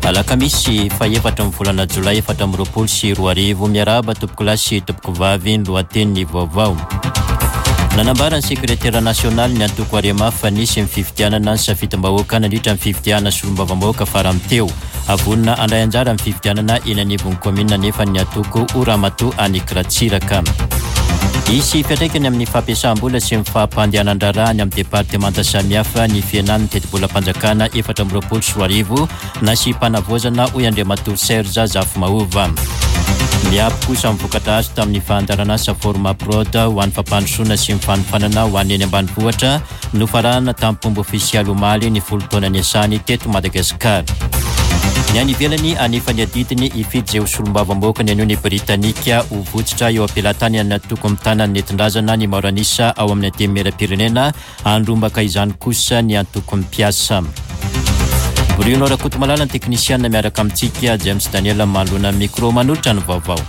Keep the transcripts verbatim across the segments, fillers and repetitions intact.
Alakamisy fahefatra amin'ny volana jolay efatra amby roapolo sy roa arivo. Miarahaba tompokolahy sy tompokovavy, ny lohatenin'ny vaovao. Nanambara ny sekretera nasionaly ny antoko Arema fa nisy ny fifidianana ny safidim-bahoaka nandritra ny fifidianana solombavambahoaka farany teo. Avonona handray anjara amin'ny fifidianana eny anivon'ny kaominina nefa ny antoko ho Ramatoa Annick Ratsiraka. Hisy fiantraikany amin'ny fampiasam-bola sy ny fampandehanan-draharaha any amin'ny departemanta samihafa ny fihenan'ny tetibolam-panjakana efatra amby roapolo sy roa arivo nasiam-panavaozana, hoy Andriamatoa Serge Zafimahova. Miampy kosa ny vokatra azo tamin'ny fandaharanasa Forma Prod ho an'ny fampandrosoana sy ny fanofanana ho an'ny eny ambanivohitra nofaranana tamin'ny ofisialy omaly ny folo taona niasany teto Madagasikara. Ny any ivelany, anefa ny adidiny hifidy izay ho solombavambahoaka ny anio ny Britanika. Ho votsitra eo am-pelatanany ny antoko mitana ny nentin-drazana ny maro an'isa ao amin'ny antenimieram-pirenena. Andrombaka izany kosa ny antoko mpiasa. Bruno Rakotomalala ny teknisiana miaraka amintsika, James Daniel manoloana micro manolotra ny vaovao.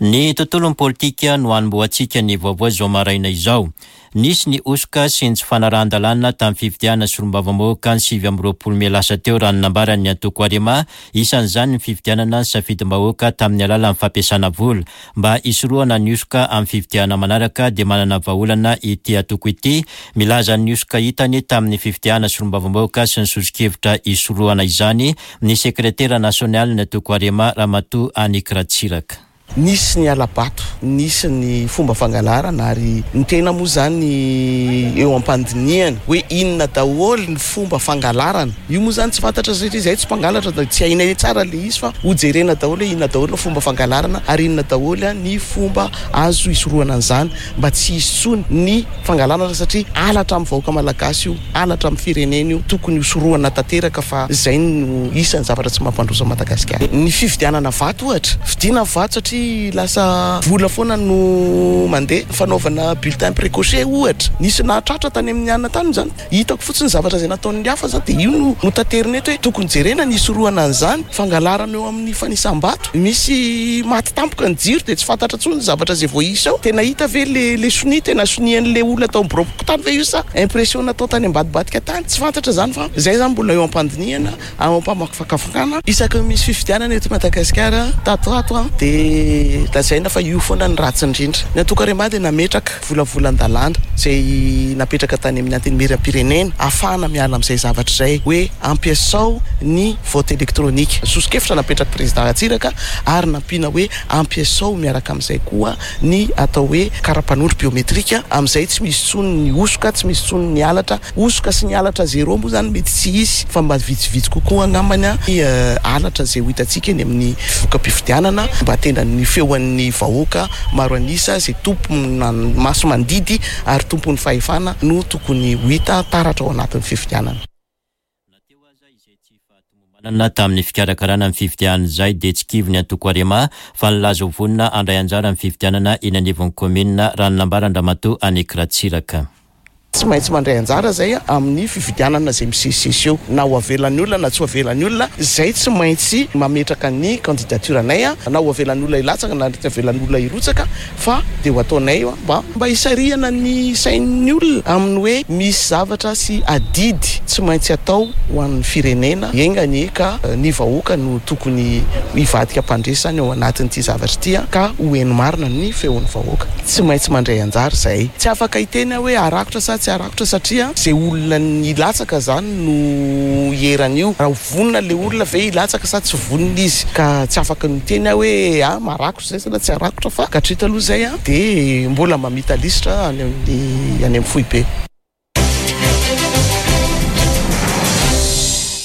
Ny tontolon'ny politika no anombohantsika ny vaovao izao maraina izao. Nisy ny hosoka sy ny tsy fanarahan-dalàna tamin'ny fifidianana solombavambahoaka ny sivy amby roapolo mey lasa teo, raha ny nambaran'ny antoko Arema. Isan'izany ny fifidianana ny safidim-bahoaka tamin'ny alalan'ny fampiasana vola. Mba hisorohana ny hosoka amin'ny fifidianana manaraka dia manana vahaolana ity antoko ity. Milaza ny hosoka hitany tamin'ny fifidianana solombavambahoaka sy ny soso-kevitra hisorohana izany ny sekretera nasionaly ny antoko Arema, Ramatoa Annick Ratsiraka. Nisy ny hala-bato, nisy ny fomba fangalarana, ary ny tena moa zany eo am-pandinihana hoe inona daholo ny fomba fangalarana. Io moa zany tsy fantatra satria izay tsy mpangalatra, tsy hainay tsara le izy, fa hojerena daholo hoe inona daholo ny fomba fangalarana ary inona daholo ny fomba azo hisorohana an'izany mba tsy hisy intsony ny fangalarana, satria halatra amin'ny vahoaka malagasy io, halatra amin'ny firenena io, tokony hosorohana tanteraka fa izay no isan'ny zavatra tsy mampandroso an'i Madagasikara. Ny fividianana vato ohatra, vidiana vato satria lasa vola foana no mandeha. Fanaovana bulletin précoché ohatra, nisy nahatratra tany amin'ny anina tany zany, hitako fotsiny zavatra izay nataon'ny hafa zany dia io no notaterina eto hoe tokony jerena ny hisorohana an'izany. Fangalarana eo amin'ny fanisam-bato, misy maty tampoka ny jiro dia tsy fantatra intsony ny zavatra izay voaisa ao. Tena hita ve le le sonia, tena sonian'le olona tao amin'ny birao tany ve io sa impression natao tany ambadibadika tany, tsy fantatra zany, fa izay zany mbola eo am-pandinihana, ao am-pamakafakana. Isaky ny misy fifidianana eto Madagasikara tato ato dia lazaina fa io foana ny ratsy indrindra. Ny antoko Arema dia nametraka volavolan-dalàna izay napetraka tany amin'ny antenimieram-pirenena ahafahana miala amin'izay zavatra izay, hoe ampiasao ny vote électronique. Soso-kevitra napetraka président Ratsiraka ary nampiana hoe ampiasao miaraka amin'izay koa ny atao hoe karapanondro biométrique, amin'izay tsy misy intsony ny hosoka, tsy misy intsony ny halatra. Hosoka sy ny halatra zéro moa zany mety tsy hisy, fa mba vitsivitsy kokoa angambany ny halatra izay ho hitantsika eny amin'ny voka-pifidianana, mba tena ny feon'ny vahoaka maro an'isa izay tompona maso mandidy ary tompon'ny fahefana no tokony ho hita taratra ao anatin'ny fifidianana. Na teo aza izay tsy fahatomombanana tamin'ny fikarakarana ny fifidianana izay dia tsy kivy ny antoko Arema fa nilaza ho vonona handray anjara amin'ny fifidianana eny anivon'ny kaominina, raha ny nambaran-dRamatoa Annick Ratsiraka. Tsy maintsy mandray anjara zay amin'ny fifidianana izay misesisesy eo, na ho avelan'ny olona na tsy ho avelan'ny olona, zay tsy maintsy mametraka ny candidature anay, na ho avelan'ny olona hilatsaka na tsy avelan'ny olona hirotsaka, fa dia ho ataonay mba mba hisarihana ny sain'ny olona amin'ny hoe misy zavatra sy adidy tsy maintsy atao ho an'ny firenena. Enga anie ka ny vahoaka no tokony hivadika mpandresy ao anatin'ity zavatra ity, ka ho heno marina ny feon'ny vahoaka. Tsy maintsy mandray anjara zay, tsy afaka hiteny hoe arakotra sa tsy arakotra, satria zay olona nilatsaka zany no hieran'io. Raha vonona le olona ve hilatsaka sa tsy vonona izy, ka tsy afaka miteny hoe ah marakotra zay sa tsy arakotra, fa katrita aloha zay a dia mbola mamita lisitra any amin'ny any amin'ny foibe.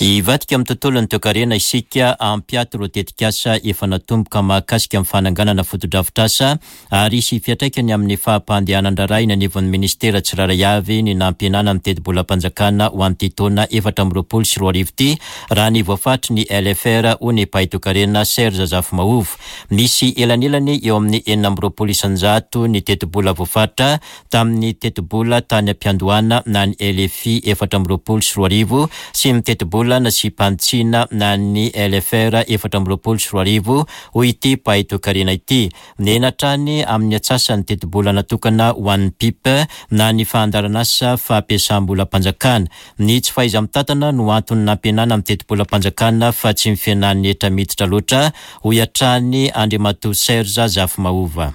Hivadika amin'ny tontolon'ny toekarena isika. Hampiato ireo tetikasa efa natomboka mahakasika amin'ny fananganana fotodrafitrasa ary hisy fiantraikany amin'ny fampandehanan-draharaha eny anivon'ny ministera tsirairay avy ny nampihenana ny tetibolam-panjakana ho an'ity taona efatra amby roapolo sy roa arivo ity, raha ny voafaritry ny L F R, hoy ny mpahay toekarena Serge Zafimahova. Misy elanelany eo amin'ny enina amby roapolo isanjato ny tetibola voafaritra tamin'ny tetibola tany am-piandohana na ny L F I efatra amby roapolo sy roa arivo sy ny tetibola tetibola nasiam-panitsiana na ny L F R efatra amby roapolo sy roa arivo, hoy ity mpahay toekarena ity. Nihena hatrany amin'ny atsasany tetibola natokana ho an'ny PIP na ny fandaharanasa fampiasam-bolam-panjakana. Ny tsy fahaiza-mitantana no antony nampihenana amin'ny tetibolam-panjakana fa tsy ny fihenan'ny hetra miditra loatra, hoy hatrany Andriamatoa Serge Zafimahova.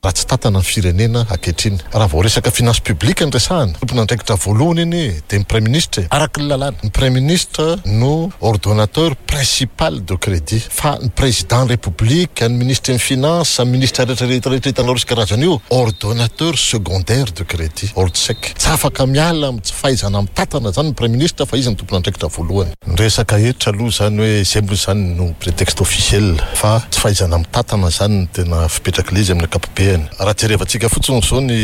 Raha tsy tantana ny firenena ankehitriny, raha vao resaka finance publique ny resahana, tompon'andraikitra voalohany iny de ny premier ministre. Araky ny lalàna, ny premier ministre no ordonnateur principal de crédit, fa ny président république, ny ministre ny finance, ministre rehetrarehetra hitanao resy karazana io, ordonnateur secondaire de crédit, ordsec. Tsy afaka miala tsy fahaizana mitatana zany ny premier ministre, fa izy ny tompon'andraikitra voalohany. Ny resaka hetra aloha zany hoe zay moa zany no prétexte officiel, fa tsy fahaizana mitatana zany ny tena fipetraky le izy amin'ny ankapobeany. Raha jerevantsika fotsiny zao ny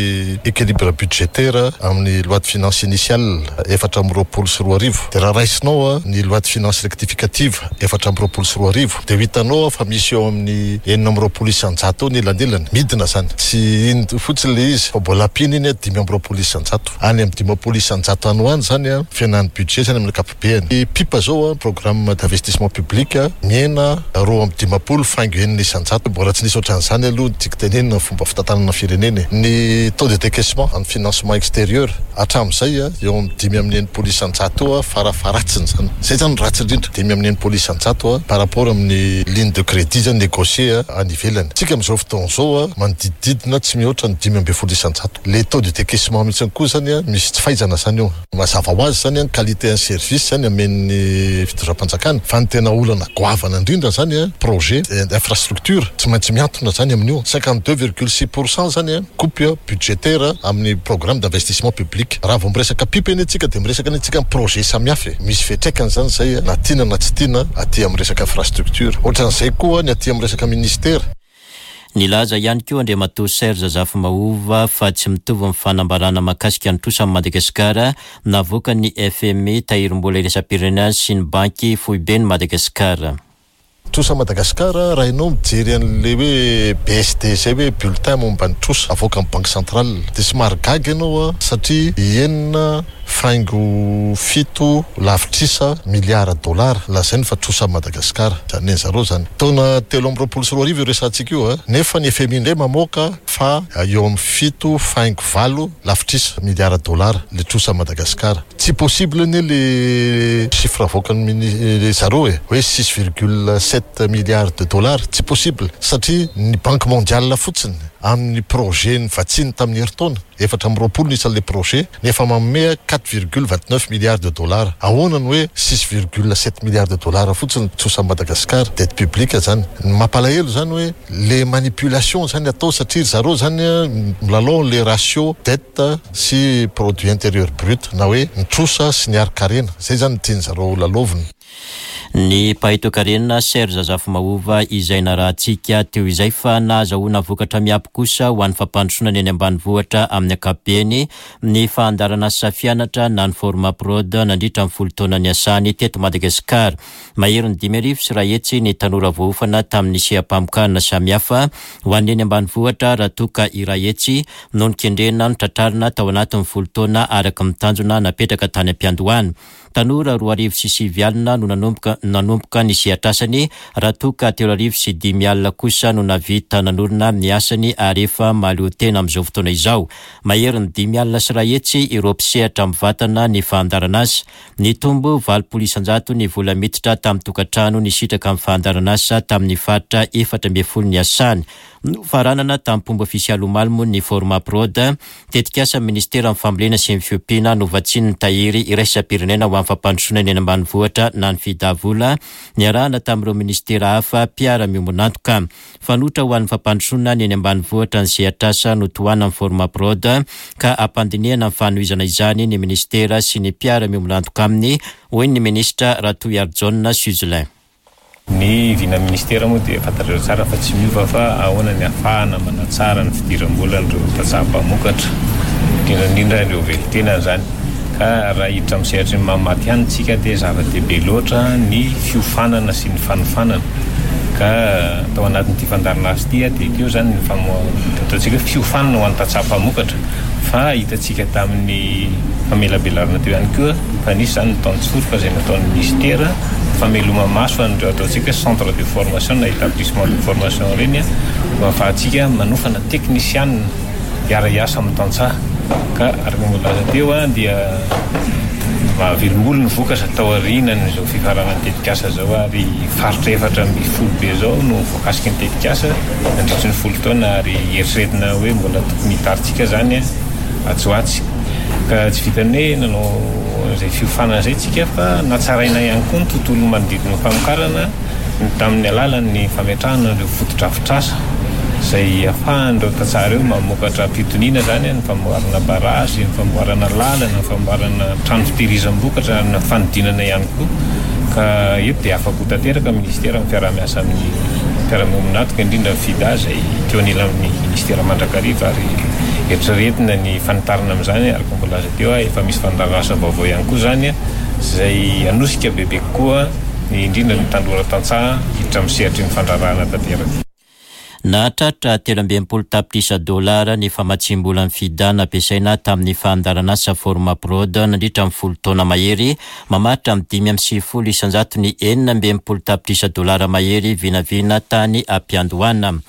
équilibre budgétaire amin'ny loi de finance initiale efatra amby roapolo sy roa arivo, de raha raisinao a ny loi de finance rectificative efatra amby roapolo sy roa arivo, de ho hitanao fa misy eo amin'ny enina amby roapolo isanjato eo ny elanelany. Midina zany, tsy iny fotsiny le izy fa mbola ampiana iny a dimy amby roapolo isanjato, any amin'ny dimampolo isanjato any ho any zany a fihenan'ny budget zany amin'ny ankapobeany. Ny PIP zao a, programme d'investissement public, mihena roa amby dimampolo faingo enina isanjato. Mbola tsy nisy ohatran'izany aloha ny tiako tenenina fomba fitantanana firenena. Ny taux de décaissement amin'ny financement extérieur hatramin'izay a eo amin'ny dimy amin'ny enimpolo isanjato eo a farafaratsiny zany. Zay zany ratsy indrindra, dimy amin'ny enimpolo isanjato a par rapport amin'ny ligne de crédit zany négocié any ivelany. Tsika amin'izao fotoana zao a manodidididina tsy mihoatra ny dimy amby folo isanjato le taux de décaissement mihitsy koa zany a misy tsy fahaizana zany eo. Mazava ho azy zany a qualité en service zany amen'ny fitondram-panjakana, fa ny tena olana goavana indrindra zany a projet infrastructure tsy maintsy miantona zany amin'io cinquante deux virgule six pourcent zany a coupe budgétaire amin'ny programme d'investissement public. Raha vao miresaka PIP eny atsika, de miresaka any atsika projet samihafa e misy fiatraikany zany zay, na tiana na tsy tiana, aty amin'ny resaka infrastructure. Ohatran'izay koa ny aty amin'ny resaka ministère. Nilaza ihany koa Andriamatoa Serge Zafimahova fa tsy mitovy ny fanambarana mahakasika ny trosa amin'ny Madagasikara navoaka ny F M I, tahirim-bola iraisam-pirenena, sy ny banky foibe ny Madagasikara. Trosa Madagasikara, raha ianao mijery an'le hoe B S D zay, hoe bulletin momba ny trosa avoaka amin'ny banque centrale, de somary gaga ianao a satria enina faingo fito lavitrisa miliara dollara lazainy fa trosa Madagasikara zany zareo zany taona telo amby roapolo sy roa arivo io resantsika io a nefa ny F M I indray mamoaka fa eo amin'ny fito faingo valo lavitrisa miliara dollara le trosa Madagasikara. Tsy possible anie le chiffre avoakany mini zareo e hoe six virgule sept milliards de dollars. Tsy possible satria ny Banque mondiale fotsiny amin'ny projet ny vatsiny tamin'ny herintaona efatra amby roapolo ny isan'le projet nefa manome quatre virgule vingt neuf milliards de dollars. Ahoana ny hoe six virgule sept milliards de dollars fotsiny trosa Madagasikara, dette publique zany? Ny mampalahelo zany hoe le manipulation zany atao, satria zareo zany milalao le ratio dette sy produit intérieur brut, na hoe ny trosa sy ny harin-karena. Zay zany ny tiany zareo lalovina. Ny mpahay toekarena Serge Zafimahova izay narahantsika teo izay. Fa nahazahoana vokatra miabo kosa ho an'ny fampandrosoana ny eny ambanivohitra amin'ny ankapobeny ny fandaharanasa fianatra na ny Formaprod nandritra ny folo taona ny asany teto Madagasikara. Mahery ny dimy arivo sy iray hetsy ny tanora voaofana tamin'ny seha-pamokarana samihafa ho an'ny eny ambanivohitra, raha toka iray hetsy no nikendrena no tratrarina tao anatin'ny folo taona araka ny tanjona napetraka tany am-piandohana. Tanora roa arivo sy sivy alina no nanomboka nanomboka ny sehatrasany, raha toka telo arivo sy dimy alina kosa no navita nanorina ny asany ary efa mahaleo tena amin'izao fotoana izao. Mahery ny dimy alina sy iray hetsy ireo mpisehatra mivantana ny fandaharanasa. Nitombo valopolo isanjato ny vola miditra tamin'ny tokantrano nisitraka amin'ny fandaharanasa tamin'ny faritra efatra ambin'ny folo ny asany. Nofaranana tamin'ny fomba ofisialy omaly moa ny Formaprod, tetikasa ministera amin'ny fambolena sy ny fiompiana novatsian'ny tahiry iraisam-pirenena ho amin'ny fampandrosoana ny eny ambanivohitra na ny FIDA vola, niarahana tamin'ireo ministera hafa mpiara-miombonantoka. Fanoitra ho an'ny fampandrosoana ny eny ambanivohitra ny sehatrasa notohana amin'ny Formaprod, ka ampandinihana ny fanohizana izany ny ministera sy ny mpiara-miombonantoka aminy, hoy ny ministra Ratohiarijaona Suzelin. Ny vina ministera moa dia fantatrareo tsara fa tsy miova, fa ahoana ny ahafahana manatsara ny fidiram-bolan'ireo tantsaha mpamokatra, indrindrandrindra ireo velon-tenany zany. Ka raha hiditra amin'ny sehatry ny mamaty ihany tsika, dia zava-dehibe loatra ny fiofanana sy ny fanofanana. Ka tao anatin'ity fandaharanasa ity dia teo izany ny famo- ataontsika hoe fiofanana ho an'ny tantsaha mpamokatra, fa hitantsika tamin'ny famelabelarana teo ihany koa fa nisy izany ny tantsoroka izay nataon'ny ministera fameloma-maso an'ireo ataontsika hoe centre de formation na établissement de formation ireny, mba ahafahantsika manofana teknisianina hiara-hiasa amin'ny tantsaha. Ka araka ny voalaza teo dia mahavelom-bolo ny vokatra tao aorianan'izao fifaranan'ny tetikasa izao, ary faritra efatra ambin'ny folo be izao no voakasiky ny tetikasa nandritry ny folo taona, ary eritreretina hoe mbola tokony hitarintsika izany atsy ho atsy. Ka tsy vitan'ny hoe nanao izay fiofanana izay tsika fa natsaraina ihany koa ny tontolo manodidina ny famokarana tamin'ny alalan'ny fametrahana ireo fotodrafitrasa izay ahafahan'ireo tantsaha ireo mamokatra am-pitoniana izany, ny famboarana barazy, ny famboarana lalana, ny famboarana trano fitehirizam-bokatra, ny fanodinana ihany koa. Ka eto dia afa-po tanteraka ny ministera amin'ny fiaraha-miasa amin'ny mpiara-miombon'antoka, indrindra ny FIDA izay teo anilan'ny ministera mandrakariva, ary eritreretina ny fanitarana amin'izany. Araka ny voalaza teo, efa misy fandaharanasa vaovao ihany koa izany izay hanosika bebe kokoa ny indrindra ny tanora tantsaha hiditra amin'ny sehatry ny fandraharahana tanteraka. Nahatratra telo amby enimpolo tapitrisa dolara ny famatsiam-bolan'ny FIDA nampiasaina tamin'ny fandaharanasa Formaprod nandritra ny folo taona mahery, mamaritra amin'ny dimy amby sivifolo isanjato ny enina amby enimpolo tapitrisa dolara mahery vinavina tany am-piandohana.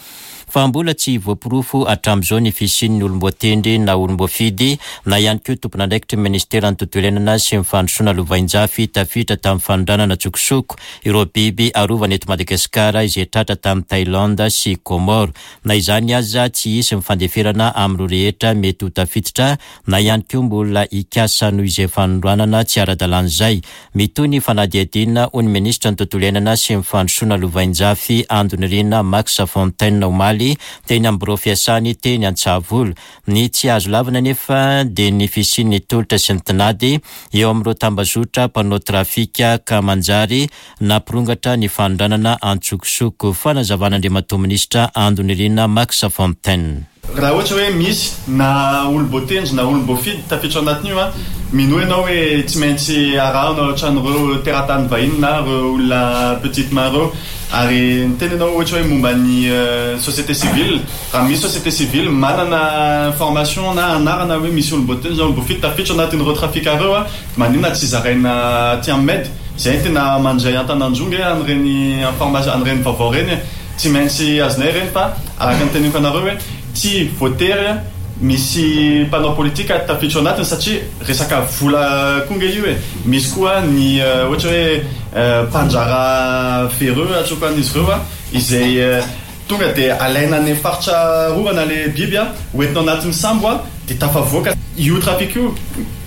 Fa mbola tsy voaporofo hatramin'izao ny fisian'ny olom-boatendry na olom-boafidy na ihany koa tompon'andraikitry ny ministeran'ny tontolo iainana sy ny fandrosoana lovainjafy tafiditra tamin'ny fanondranana tsokosoko ireo biby arovana eto Madagasikara izay tratra tamin'ny Thaïlande sy Comores. Na izany aza, tsy hisy ny fandeferana amin'ireo rehetra mety ho tafiditra na ihany koa mbola hikasa noho izay fanondranana tsy ara-dalàna izay. Mitohy ny fanadihadiana, hoy ny ministra ny tontolo iainana sy ny fandrosoana lovainjafy Andonirina Max Fontaine omaly teny amin'ny birao fiasany teny Antsahavola. Ny tsy azo lavina nefa dia ny fisian'ny tolotra sy ny tinady eo amin'ireo tambazotra mpanao trafika ka manjary nampirongatra ny fanondranana antsokosoko. Fanazavan'Andriamatoa Minisitra Andonirina Max Fontaine. Raha ohatra hoe misy na olom-boatendry na olom-boafidy tafiditra ao anatin'io, a mino ianao hoe tsy maintsy arahana ohatran'ireo teratany vahiny na ireo olona petite main ireo. Ary niteny ianao ohatra hoe momba ny société civile, raha misy société civile manana information na anarana hoe misy olom-boatendry na olom-boafidy tafiditra ao anatin'ireo trafic ireo, a maninona tsy zaraina aty amin'ny M E D? Izay tena mandray an-tanandronga an'ireny information, an'ireny vaovao ireny, tsy maintsy azonay ireny. Fa araka ny teneniko anareo hoe tsy voatery misy mpanao politika tafiditra ao anatiny, satria resaka vola koa nge io e. Misy koa ny ohatra hoe mpandrara véreux atsoko an'izy ireo, a izay tonga dia alaina any faritra arovana le biby, a hoentina ao anatin'ny sambo, a dia tafavoaka. Io trafic io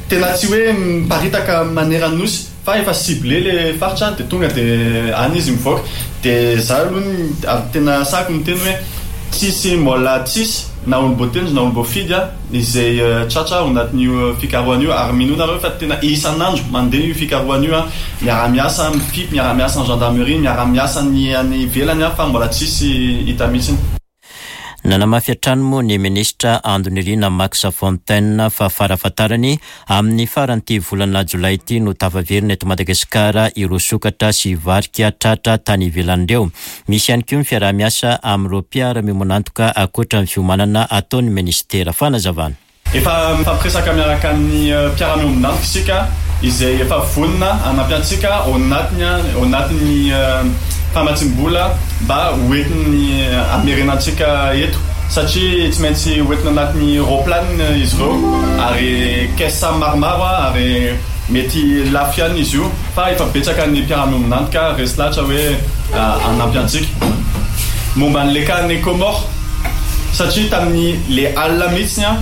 tena tsy hoe miparitaka manerana nosy fa efa ciblé le faritra, dia tonga dia any izy mivoaka. Dia za aloha tena sako miteny hoe tsisy mbola tsisy na olom-boatendry na olom-boafidy a izay tratra ao anatin'io fikarohana io. Ary mino nareo fa tena isan'andro mandeha io fikarohana io, a miara-miasa amin'ny F I P, miara-miasa ny gendarmerie, miara-miasa ny any ivelany, a fa mbola tsisy hita mihitsy. Nanamafy hatrany moa ny ministra Andonirina Max Fontaine fa farafahatarany amin'ny faran'ity volana jolay ity no tafaverina eto Madagasikara ireo sokatra sy varika tratra tany ivelany ireo. Misy ihany koa ny fiaraha-miasa amin'ireo mpiara-miombon'antoka ankoatra ny fiomanana ataon'ny ministera. Fanazavana. Efa mifampiresaka miaraka amin'ny mpiara-miombon'antoka isika izay efa vonona hanampy antsika ao anatiny, ao anatin'ny famatsiam-bola mba hoentiny hamerenantsika eto, satria tsy maintsy hoentina anatin'ny roplanina izy ireo ary caisse maromaro, ary mety lafo ihany izy io, fa efa betsaka ny mpiara-miombon'antoka resy lahatra hoe hanampy antsika. Momba an'le cas any Comores, satria tamin'ny le alina mihitsy a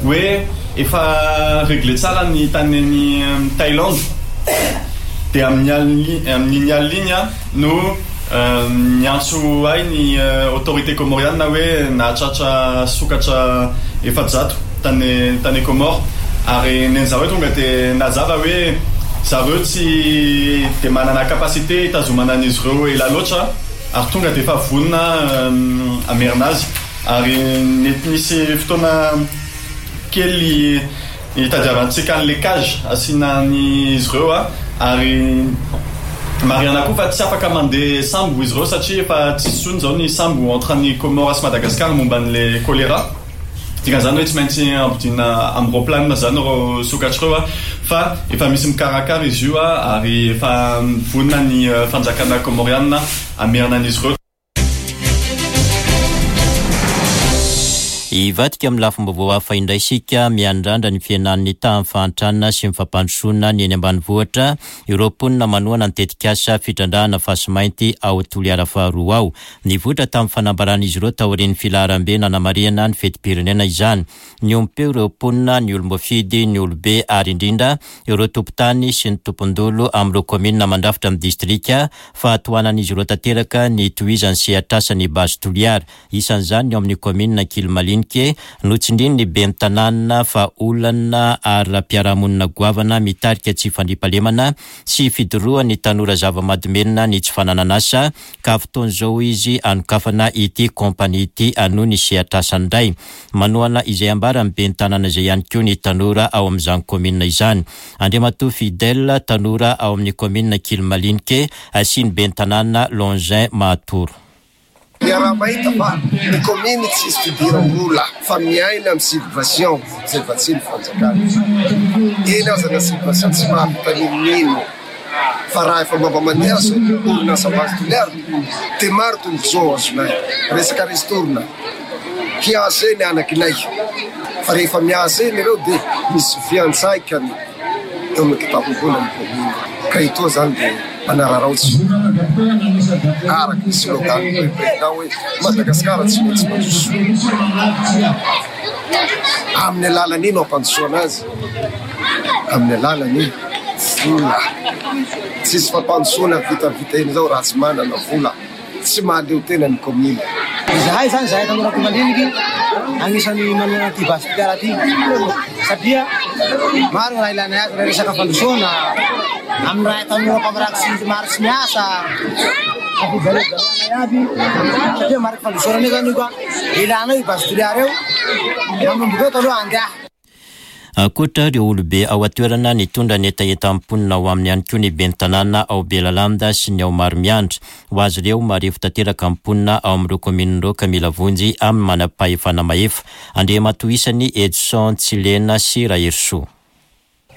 hoe efa réglé tsara ny tany any Thaïlande, dia amin'ny alina, amin'iny alina iny a no niantso ahy ny autorité comoriana hoe nahatratra sokatra efajato tany tany Comores, ary neny zareo tonga dia nazava hoe zareo tsy dia manana capacité hitazomana an'izy ireo ela loatra, ary tonga dia efa vonona hamerina azy. Ary nety nisy fotoana kely hitadiavantsika an'le cage asiana an'izy ireo, a ary Marihana koa fa tsy afaka mandeha sambo izy ireo satria efa tsisy intsony izao ny sambo entre ny Comores sy Madagascar momba an'ilay choléra. Dikan'izany hoe tsy maintsy ampodiana amin'ny roplanina izany ireo sokatra ireo fa efa misy mikarakara izy io ary efa vonona ny fanjakana comoriana hamerina an'izy ireo. Hivadika amin'ny lafim-baovao hafa indray isika, miandrandra ny fihenan'ny tahan'ny fahantrana sy ny fampandrosoana ny eny ambanivohitra ireo mponina manohana ny tetikasa fitrandrahana fasimainty ao Toliara faharoa ao. Nivoitra tamin'ny fanambaran'izy ireo taorian'ny filaharambe nanamarihana ny fetim-pirenena izany. Niompeo ireo mponina, ny olom-boafidy, ny olobe ary indrindra ireo tompon-tany sy ny tompon-dolo amin'ireo kaominina mandrafitra amin'ny distrika fa tohanan'izy ireo tanteraka ny tohizan'ny sehatr'asan'ny Base Toliara. Isan'izany ny ao amin'ny kaominina Ankilimalinike, notsindrin'ny ben'ny tanàna fa olana ara-piarahamonina goavana mitarika tsy fandriampahalemana sy fidorohan'ny tanora zava-mahadomelina ny tsy fananana asa ka fotoana izao izy hanokafana ity kompania ity hanohy ny sehatr'asany indray. Manohana izay ambaran'ny ben'ny tanàna izay ihany koa ny tanora ao amin'izany kaominina izany. Andriamatoa Fidèle, tanora ao amin'ny kaominina Ankilimalinike sy ny ben'ny tanàna Longin Mahatoro. Miaraha-mahita fa ny commune tsisy fidiram-bola fa miaina amin'ny subvention izay vatsian'ny fanjakana. Eny aza na subvention tsy mahavita n'inon'ino fa raha efa mba mandeha aza orinasa Base Toliara dia maro tombontsoa azonay. Resaka ristourne hiasa eny anakinay fa rehefa miasa eny ireo dia misy fiantraikany eo amin'ny kitapom-bola ny commune. Ka itoa zany dia manararaotra araka ny slogan ny président hoe Madagasikara tsy maintsy mandroso. Amin'ny alalan'iny no ampandrosoana azy, amin'ny alalan'ny vola. Tsisy fampandrosoana vitavita eny izao raha tsy manana vola, tsy mahaleo tena ny commune. Izahay zany zahay tanora Ankilimaliniky anisan'ny manohana ity Base Toliara ity satria maro ny raha ilanay azy raha resaka fandrosoana amin'ny raha tanora mpamiraky sy maro tsy miasa ampijalijalanay aby satria mariky fandrosoana anie zany io ka ilanao io Base Toliara io manomboka eo taloha andeha. Ankoatra ireo olobe ao an-toerana nitondra ny hetahetan'ny mponina ao aminy ihany koa ny ben'ny tanàna ao Belalanda sy ny ao Maromiandra. Ho azy ireo, marefo tanteraka ny mponina ao amin'ireo kaominina ireo ka mila vonjy amin'ny manam-pahefana mahefa. Andriamatoa isany Edson Tsilena sy Raherisoa.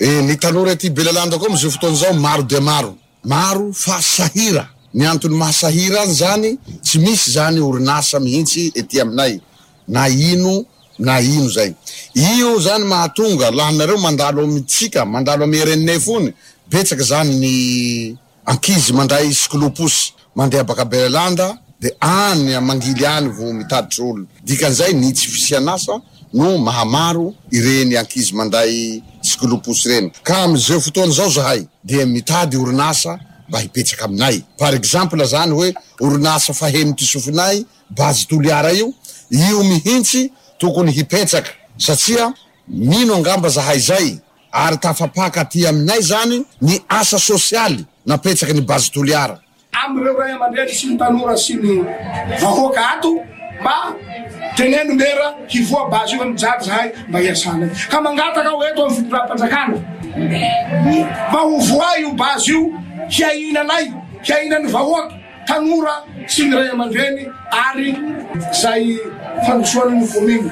E, ny tanora ety Belalanda koa amin'izao fotoana izao maro dia maro. Maro fa sahira. Ny antony mahasahira any zany, tsy misy zany orinasa mihitsy ety aminay. Na ino na ino zay. Io zany mahatonga lahanareo mandalo amintsika, mandalo amin'ny R N F ony, betsaka zany ny ankizy mandray cycloposy mandeha baka Belalanda dia any mangily any vao mitaditra olona. Dikan'izay ny tsy fisian'asa no mahamaro ireny ankizy mandray cycloposy ireny. Ka amin'izao fotoana izao zahay dia mitady orinasa mba hipetsaka aminay. Par exemple zany hoe orinasa faheno ty sofinay Base Toliara io, io mihitsy tokony hipetsaka satria mino angamba zahay zay ary tafapaka aty aminay zany ny asa sosialy napetsaky ny Base Toliara. Amin'ireo ray aman-dreny sy ny tanora sy ny vahoaka ato mba teneno mera hivoa base io mijaly zahay mba hiasanay. Ka mangataka aho eto amin'ny fitondram-panjakana mba ho voa io base io hiainanay, hiainan'ny vahoaka, tanora sy ny ray aman-dreny ary zay fandrosoan'ny commune.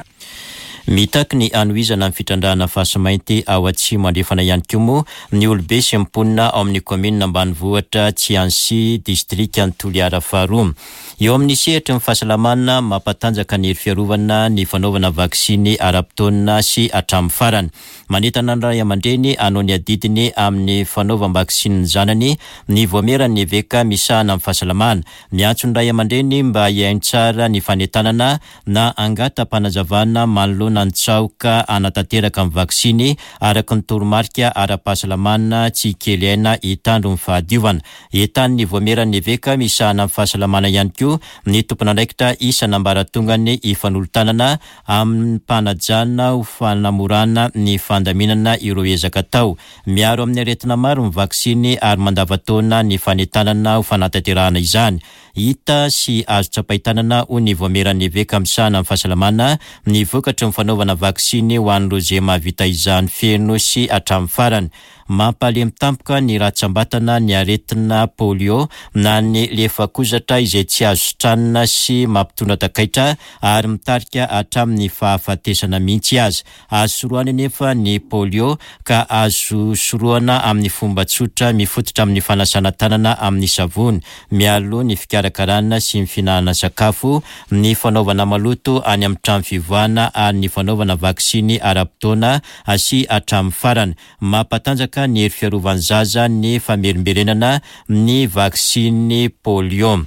Mitaky ny hanohizana ny fitrandrahana fasimainty ao atsimo andrefana ihany koa moa ny olobe sy ny mponina ao amin'ny kaominina ambanivohitra Tsiansy, distrikan'i Toliara faharoa. Eo amin'ny sehatry ny fahasalamana, mampatanjaka ny hery fiarovana ny fanaovana vaksiny ara-potoana sy hatramin'ny farany. Manentana ny ray aman-dreny hanao ny adidiny amin'ny fanaovam-baksiny ny zanany ny voameran'ny eveka misahana amin'ny fahasalamana. Miantso ny ray aman-dreny mba hihaino tsara ny fanentanana na hangata-panazavana manoloana ny tsaoka hanatanteraka ny vaksiny araka ny toromarika ara-pahasalamana tsy kely aina hitandro ny fahadiovana. Entanin'ny voameran'ny eveka misahana amin'ny fahasalamana ihany koa ny tompon'andraikitra isan'ambaratongany hifanolo-tanana amin'ny mpanajana ho fanamorana ny fandaminana ireo ezaka atao. Miaro amin'ny aretina maro ny vaksiny ary mandava-taona ny fanentanana ho fanatanterahana izany. Hita sy azo tsapain-tanana ho ny voameran'ny eveka misahana amin'ny fahasalamana ny vokatry ny fanaovana vaksiny ho an'ireo izay mahavita izany feno sy hatramin'ny farany. Mampalemy tampoka ny ratsam-batana ny aretina polio na ny lefakozatra izay tsy azo sitranina sy mampitondra takaitra ary mitarika hatramin'ny fahafatesana mihitsy aza. Azo sorohana nefa ny polio ka azo sorohana amin'ny fomba tsotra mifototra amin'ny fanasana tanana amin'ny savony mialoha ny fikarakarana sy ny fihinanana sakafo, ny fanaovana maloto any amin'ny trano fivoahana ary ny fanaovana vaksiny ara-potoana sy hatramin'ny farany. Mampatanjaka ny hery fiarovan'ny zaza ny famerimberenana ny vaksiny polio.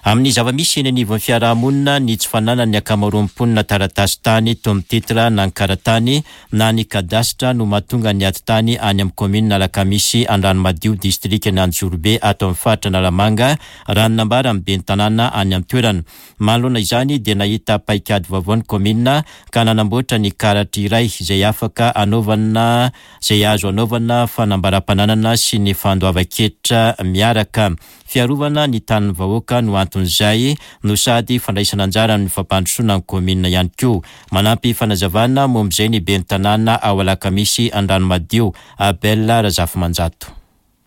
Amin'ny zava-misy eny anivon'ny fiarahamonina, ny tsy fananan'ny ankamaroan'ny mponina taratasy tany toy ny titre na ny karatany na ny kadasitra no mahatonga ny ady tany any amin'ny kaominina Alakamisy Andranomadio, distrikan'i Anjozorobe ato amin'ny faritra Analamanga, raha ny nambaran'ny ben'ny tanàna any an-toerana. Manoloana izany dia nahita paikady vaovao ny kaominina ka nanamboatra ny karatra iray izay afaka anaovana izay azo anaovana fanambaram-pananana sy ny fandoavan-ketra miaraka. Fiarovana ny tanin'ny vahoaka no anton'izay no sady fandraisana anjara amin'ny fampandrosoana ny kaominina ihany koa. Manampy fanazavana momba izay ny ben'ny tanàna ao Alakamisy Andranomadio, Abel Razafimanjato.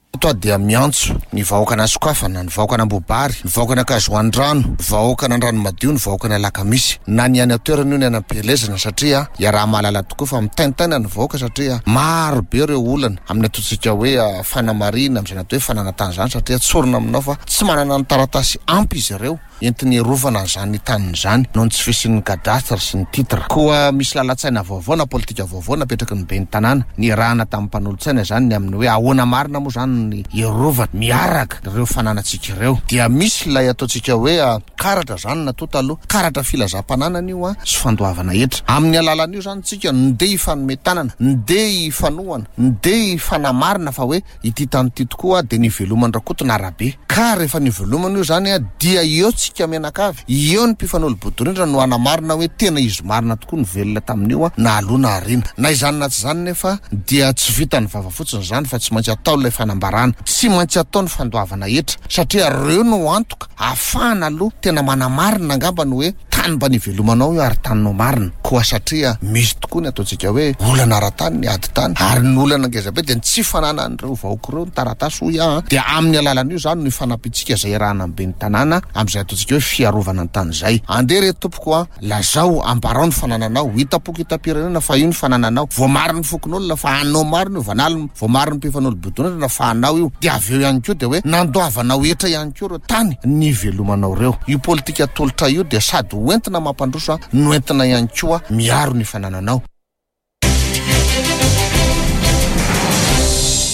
Eto aho dia miantso ny vahoakan'Asokafana, ny vahoakan'Ambohibary, ny vahoakan'Ankazoandrano, ny vahoakan'Andranomadio, ny vahoakan'Alakamisy, na ny any an-toerana io ny any am-pielezana, satria iaraha-mahalala tokoa fa mitaintaina ny vahoaka satria maro be ireo olana amin'ny ataontsika hoe fanamarihana amin'izany atao hoe fananantany izany, satria tsorina aminao fa tsy manana ny taratasy ampy izy ireo entiny hiarovana an'izany taniny izany noho ny tsy fisian'ny cadastre sy ny titre. Koa misy lalan-tsaina vaovao na politika vaovao napetraky ny ben'ny tanàna niarahana tamin'ny mpanolotsaina izany ny amin'ny hoe ahoana marina moa izany ny hiarovana miaraka ireo fananantsika ireo. Dia misy ilay ataontsika hoe karatra izany natao taloha, karatra filazam-pananana io sy fandoavana hetra. Amin'ny alalan'io izany tsika ndeha hifanome tanana, ndeha hifanohana, ndeha hifanamarina fa hoe ity tany ity tokoa dia niveloman'i Rakoto na Rabe. Ka rehefa nivelomana io izany dia eo tsika mianakavy, eo ny mpifanolo-bodorindrina no hanamarina hoe tena izy marina tokoa ny velona tamin'io na aloha na aoriana. Na izany na tsy izany nefa dia tsy vitan'ny vava fotsiny izany fa tsy maintsy atao ilay fanambarana, tsy maintsy atao ny fandoavana hetra, satria ireo no antoka ahafahana aloha tena manamarina angamba ny hoe tany mba nivelomanao io ary taninao marina. Koa satria misy tokoa ny ataontsika hoe olana ara-tany ny ady tany, ary ny olana ngeza be dia ny tsy fananan'ireo vahoaka ireo ny taratasy hoy aho, dia amin'ny alalan'io izany no ifanampiantsika izay iarahana amin'ny ben'ny tanàna amin'izay ataontsika hoe fiarovana ny tany izay. Andeha re tompoko a, lazao, ambarao ny fanananao, hita-poko hita-pirenena fa io ny fanananao, voamarin'ny fokonolona fa anao marina io, vanaliny voamarin'ny mpifanolo-bodonana fa anao io, dia avy eo ihany koa dia hoe nandoavanao hetra ihany koa ireo tany nivelomanao ireo. Io politika atolotra io dia sady hoentina mampandroso no entina ihany koa miaro ny fanananao.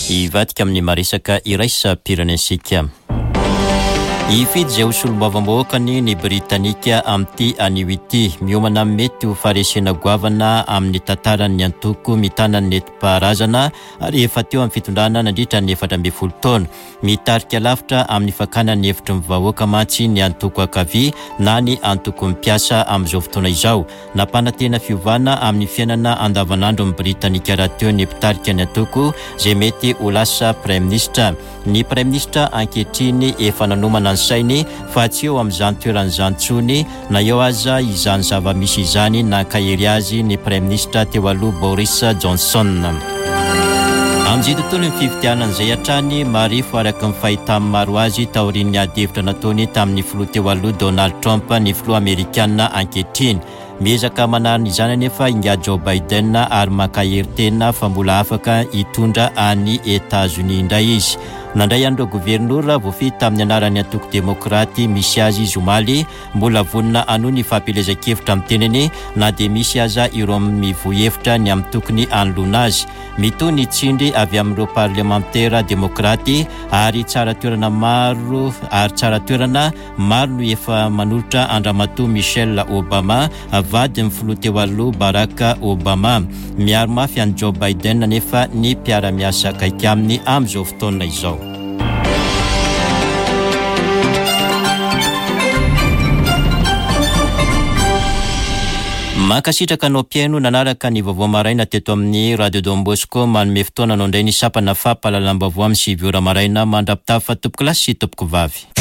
Hivadika amin'ny maresaka iraisam-pirenentsika. Hifidy izay ho solombavambahoakany ny Britanika amin'ity anio ity. Miomana mety ho faharesena goavana amin'ny tantaran'ny antoko mitana ny nentim-paharazana ary efa teo amin'ny fitondrana nandritra ny efatra ambin'ny folo taona. Mitarika lavitra amin'ny fakana ny hevitry ny vahoaka mantsy ny antoko ankavia na ny antoko mpiasa amin'izao fotoana izao. Nampanantena fiovana amin'ny fiainana andavanandro ny Britanika rahateo ny mpitarika ny antoko izay mety ho lasa praiminisitra. Ny praiminisitra ankehitriny efa nanomana ny sainy fa tsy eo amin'izany toeran'izany intsony na eo aza izany zava-misy izany nankahery azy ny praiminisitra teo aloha Boris Johnson. Amin'izay tontolo ny fifidianana izay hatrany, marefo araka ny fahitan'ny maro azy taorian'ny ady hevitra nataony tamin'ny filoha teo aloha Donald Trump ny filoha amerikana ankehitriny. Miezaka manarina izany anefa ingahy Joe Biden ary mankahery tena fa mbola afaka hitondra any Etazonia indray izy. Nandray an'ireo governora voafidy tamin'ny anaran'ny antoko demokraty misy azy izy omaly, mbola vonona hanohy ny fampielezan-kevitra amin'ny tenany na dia misy aza ireo mivoy hevitra ny amin'ny tokony hanoloana azy. Mitohy ny tsindry avy amin'ireo parlemantera demokraty ary tsara toerana maro ary tsara toerana maro no efa manolotra an-dRamatoa Michelle Obama, vadin'ny filoha teo aloha Barack Obama. Miaro mafy an'i Joe Biden nefa ny mpiara-miasa akaiky aminy amin'izao fotoana izao. Mankasitraka anao mpihaino nanaraka ny vaovao maraina teto amin'ny Radio Don Bosco. Manome fotoana anao indray ny sampana fampahalalam-baovao amin'ny sivy ora maraina. Mandra-pitafa tompoko lahy sy tompoko vavy.